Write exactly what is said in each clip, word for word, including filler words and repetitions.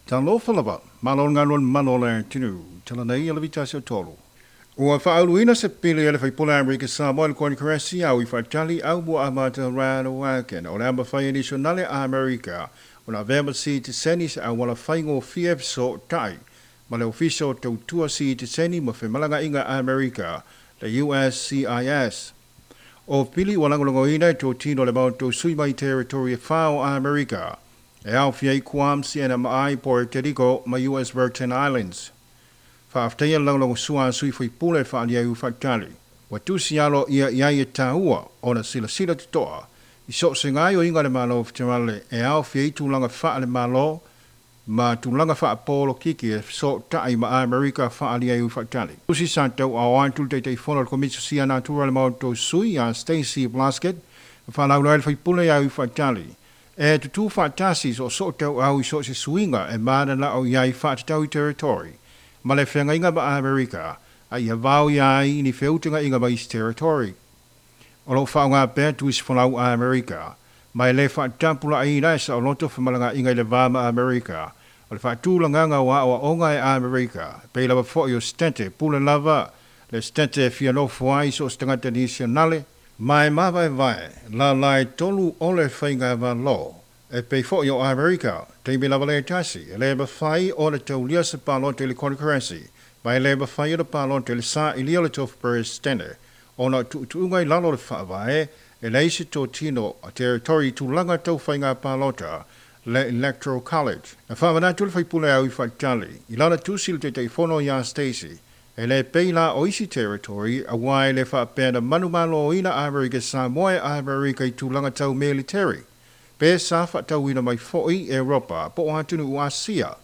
Talofa lava, malo ngā malo le tinu, tala nei ala vita se tolu. Ua whaaluina se pili ele whaipula Amerika Samoa le Konikresi au i whaatali au mua amata rano waken o le amba whai nationale Amerika o la vema si te seni se au wala whaingo F so tai ma le ofisa o tautua si te seni ma whemalanga inga Amerika le U S C I S. O pili walangolongoina e tō tino le maoto sui mai territory e whao Amerika e au fiai Guam C N M I Puerto Rico ma U S Virgin Islands. Whaafteia laulongo sua sui fui pule whaalia u whaatali. Watusi alo ia ia e tāua o na sila sila tutoa. I so se ngai o inga le malo whiterale e au fiai tūlanga wha le malo ma tūlanga wha polo kiki e so tai ma Amerika whaalia u whaatali. Usi sa tau au antul te te fono le komitsu sia natura le maoto sui a Stacey Blasket whalaula el whaipule au whaatali. E tutu whaatasi so so tau au i so se suinga e mana la o iai whaatatau i territory. Ma le whenga inga ma Amerika, a ia vau ia ai ni wheutenga inga ma isi territory. O lo whaonga pēr tuisi whalau Amerika, ma e le whaatampula ai ina e sa oloto whamalanga inga i le vā ma Amerika, o le whaatula ngā wa o onga e Amerika, pe lava fo i o stente, pule lava, le stente fianofo ai so stangata nationale, ma e mawae vae, la lai tolu ole whainga valo. E pe fo i o Amerika, te me lava le tasi, e le mawhai o le taulia se palote le Konikresi, ma e le mawhai o le palote le sa i lia le tofu presidente, o na tuutuunga i lalo le whaavae, e leisi tō tino a territory tūlanga tau whainga palota, le Electoral College. Na whawanatu le whaipule au i whaatali, i lana tusi le te teifono i a Stacey, e le peila o isi territory, a wai le whaapena manumalo ina Amerika Samoa Amerika i tūlanga tau military. Pe sa whaatauina mai foi Europa, po o atunu u Asia.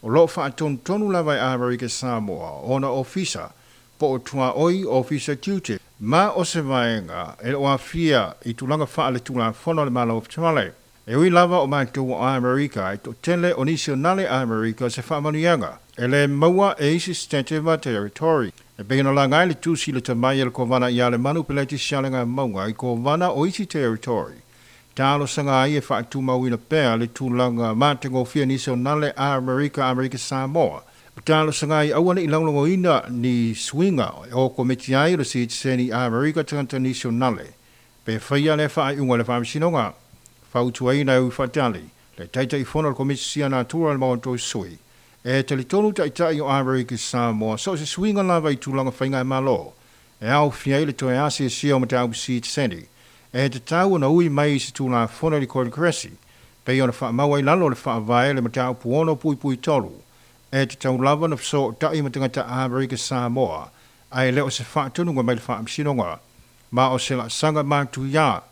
O lo whaatontonu lava i Amerika Samoa, ona ofisa, po o tua oi ofisa tiute. Ma o se vaenga, e o afia i tūlanga whaale tūlanga fono le malo of Tamale. E ui lava o mātou o Amerika, e to tele o nationale Amerika se whaamanuianga. E le maua e isi stente ma territory. E pehina la ngai le tūsi le tamai ele kovana i ale manu peleti sialenga maunga i kovana o isi territory. Talo sanga ai e whaatumauina pēr le tūlanga mātengofia nationale Amerika Amerika Samoa. Talo sanga ai awane i laulongo ina ni swinga o komiti ai le sitiseni Amerika tangata nationale. Pe whaia le whaai unga le whaamisinonga. Whautuaina u whaatali. Le taita i fono le komiti sia natura le maoto sui. E talitonu taitai o Amerika Samoa so se swinga lava i tūlanga whainga e malo. E au fiai le toe asi e sia o matau sitiseni. E te tau na ui mai se tūlanga fono le Konikresi, pe ona whaamaua i lalo le whaavae le matau puono pui pui tolu. E te tau lava na whaso tai matangata Amerika Samoa, ai leo se whaatununga mai le whaamsinonga, ma o se la sanga mātu ia,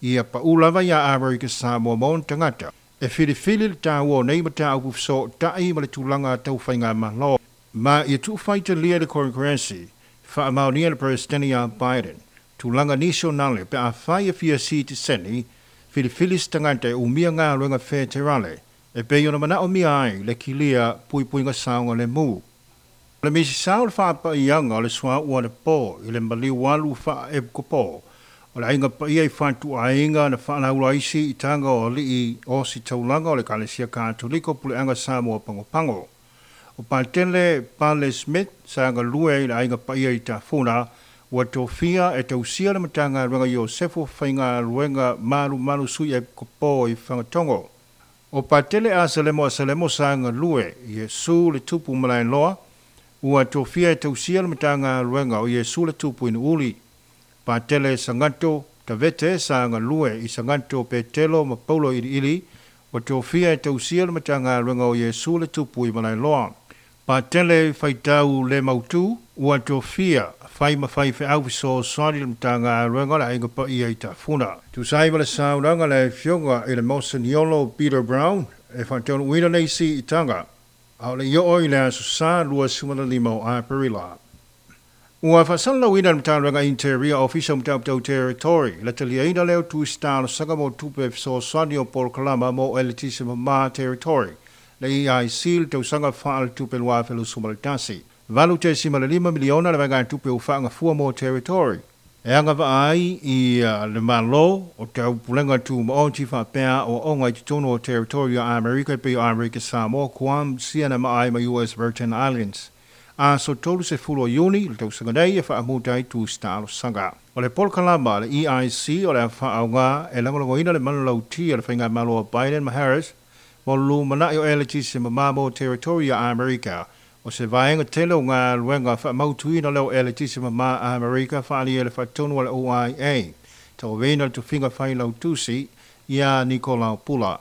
ia pa ulava ia Amerika Samoa maon tangata. E whiriwhiri le tau o nei matau whaso tai ma le tūlanga tau whainga malo. Ma ia tūwhaita lia le Konikresi, whaamaunia le Presidente Biden. Tūlanga nationale pe a whai e fia si te seni, whiriwhiri stangata e umia ngā luenga whēterale, e pe iona mana o mia ai le kilia pui puinga saunga le mū. Le misi sao le whaapa ianga o le sua ua le pō, i le maliu walu wha e kopo, o le ainga paia i whantu ainga na whaalaula isi i tanga o lii o si taulanga o le Kalesia Katoliko pule anga Samoa pango pango. O Patele Pale Smith saanga lue i le ainga paia i tafuna, ua tofia e tausia le matanga ruenga Iosefo whainga ruenga malu malu sui e kopo i whangatongo. O Patele a Salemo a Salemo saanga lue, Iesu le tupu malae loa, ua tofia e tausia le matanga ruenga o Iesu le tupu inu uli. Patele Sangato Tavete saanga lue i Sangato Petelo ma Paulo ili ili, ua tofia e tausia le matanga ruenga o Iesu le tupu i malae loa. Patele whaitau le mautu, ua tofia whai ma whai whai so swari le matanga ruenga la inga pa ia i tafuna. Tusai ma le saunanga le fionga i le Monsignolo Peter Brown e whantaunu uina nei si i tanga. Au le io i le aso sa lua sumana lima o Aperila. Ua whasala uina le matanga ruenga interior ofisa matau tau territory. Le talia ina leo tu stalo sanga mo tupe so swani o Paul Kalama mo elitisi ma territory. Le E I C le tausanga whaal tupe lua whelu sumalatasi. Valu te sima le lima miliona le vanga tupe o whaanga fua mo territory. E anga vaai i le malo o te aupulega tumaoti faapea aoaoga i totonu o territory o Amerika pei o Amerika Samoa, Guam, C N M I ma U S Virgin Islands. Aso tolu sefulu o Iuni le tausaga nei e faamuta ai tusi talosaga. O le polokalama le E I C o le faaauga e lagolagoina le manulauti a le faigamalo a Biden ma Harris mo le lumanai o eletise mamā mo territory o Amerika. O se vaega tele o galuega faamautuina leo eletise mamā Amerika faaalia le faatonu a le O I A. Tauaveina le tofiga failautusi ia Nikolao Pula.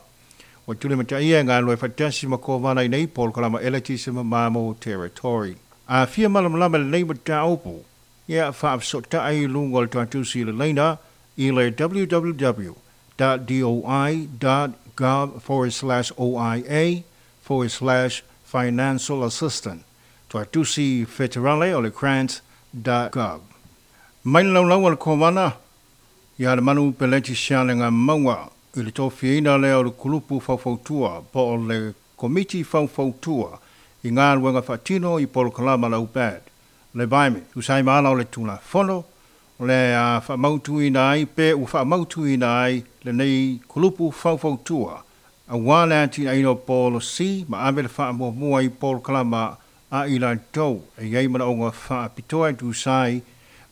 Ua tuli mataia e galue faatasi ma kovana i nei polokalama eletise mamā mo territory. A fia malamalama lenei mataupu, ia faafesootai i luga o le tuatusi i le laina i le www dot doi dot gov forward slash O I A forward slash financial assistant. Tuatusi federale o le grants dot gov. Mai le laulau a le kovana, ia le manu peleti sialega maua i le tofiaina lea o le kulupu faufautua po o le komiti faufautua i galuega faatino i polokalama la U P A D. Le vaime, tusai ma ala o le tulafono, o le a faamautuina ai pe ua faamautuina ai lenei kulupu faufautua auā le atinaeina o polosi ma ave le faamuamua i polokalama a i latou e iai manaoga faapitoa e tusai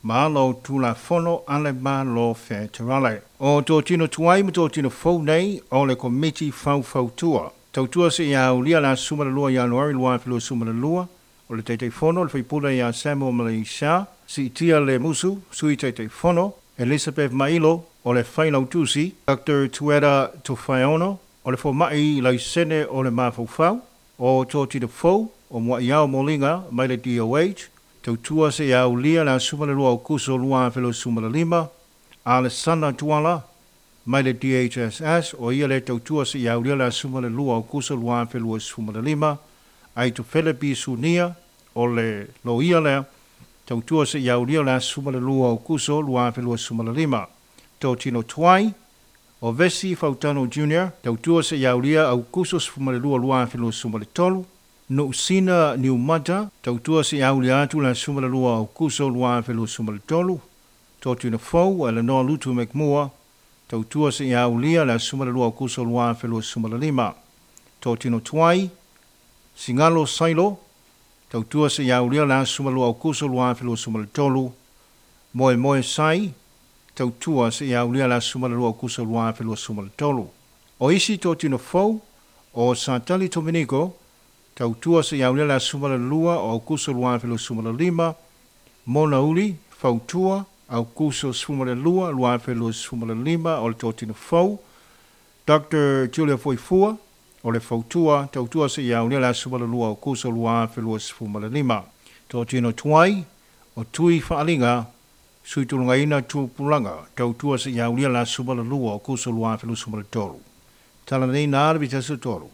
ma ala o tulafono a le Malo Feterale. O totino tuai ma totino fou nei o le komiti faufautua. Tautua se ia aulia la suma le lua Ianuari lua afe lua suma le lua, o le Taitaifono le faipule ia Samuel Malaysia, siitia le musu, sui Taitaifono, Elizabeth Mailo, o le failautusi, Doctor Tuera Tofaeono, o le fomai laisene o le mafaufau, o totino fou, o Muaiao Molinga, mai le D O H, tautua se ia aulia la suma le lua Aukuso lua afe lua suma le lima, Alessandra Tuala, mai le D H S S, o ia le tautua se ia aulia la suma le lua Aukuso lua afe lua suma le lima, Aito Felepi Sunia, o le loia lea, tautua se ia aulia la suma le lua Aukuso lua afe lua suma le lima. Totino Tuai, o Vesi Fautano Junior, tautua se ia aulia Aukuso sefuma le lua lua afe lua suma le tolu, Nuusina Niumata, tautua se ia aulia atu la suma le lua Aukuso lua afe lua suma le tolu, Totino Fou, Eleanor Lutu McMoore, tautua se ia aulia la suma le lua Aukuso lua afe lua suma le lima. Totino Tuai, Singalo Sailo, tautua se ia aulia la suma lua Aukuso lua afe lua suma le tolu, Moe Moe Sai, tautua se ia aulia la suma le lua Aukuso lua afe lua suma le tolu. O isi totino fou, o Satali Dominico, tautua se ia aulia la suma le lua o Aukuso lua afe lua suma le lima, Mona Uli, fautua, Aukuso suma le lua, lua afe lua suma le lima, o le totino fou, Doctor Julia Foifua, o le fautua, tautua se ia aulia la suma le lua Aukuso lua afe lua suma le lima. Totino tuai, o tui whaalinga, sui tulungaina tupulaga, tautua se ia aulia la suma le lua Aukuso lua afe lua suma le tolu. Tala nei nā le vitaso tolu.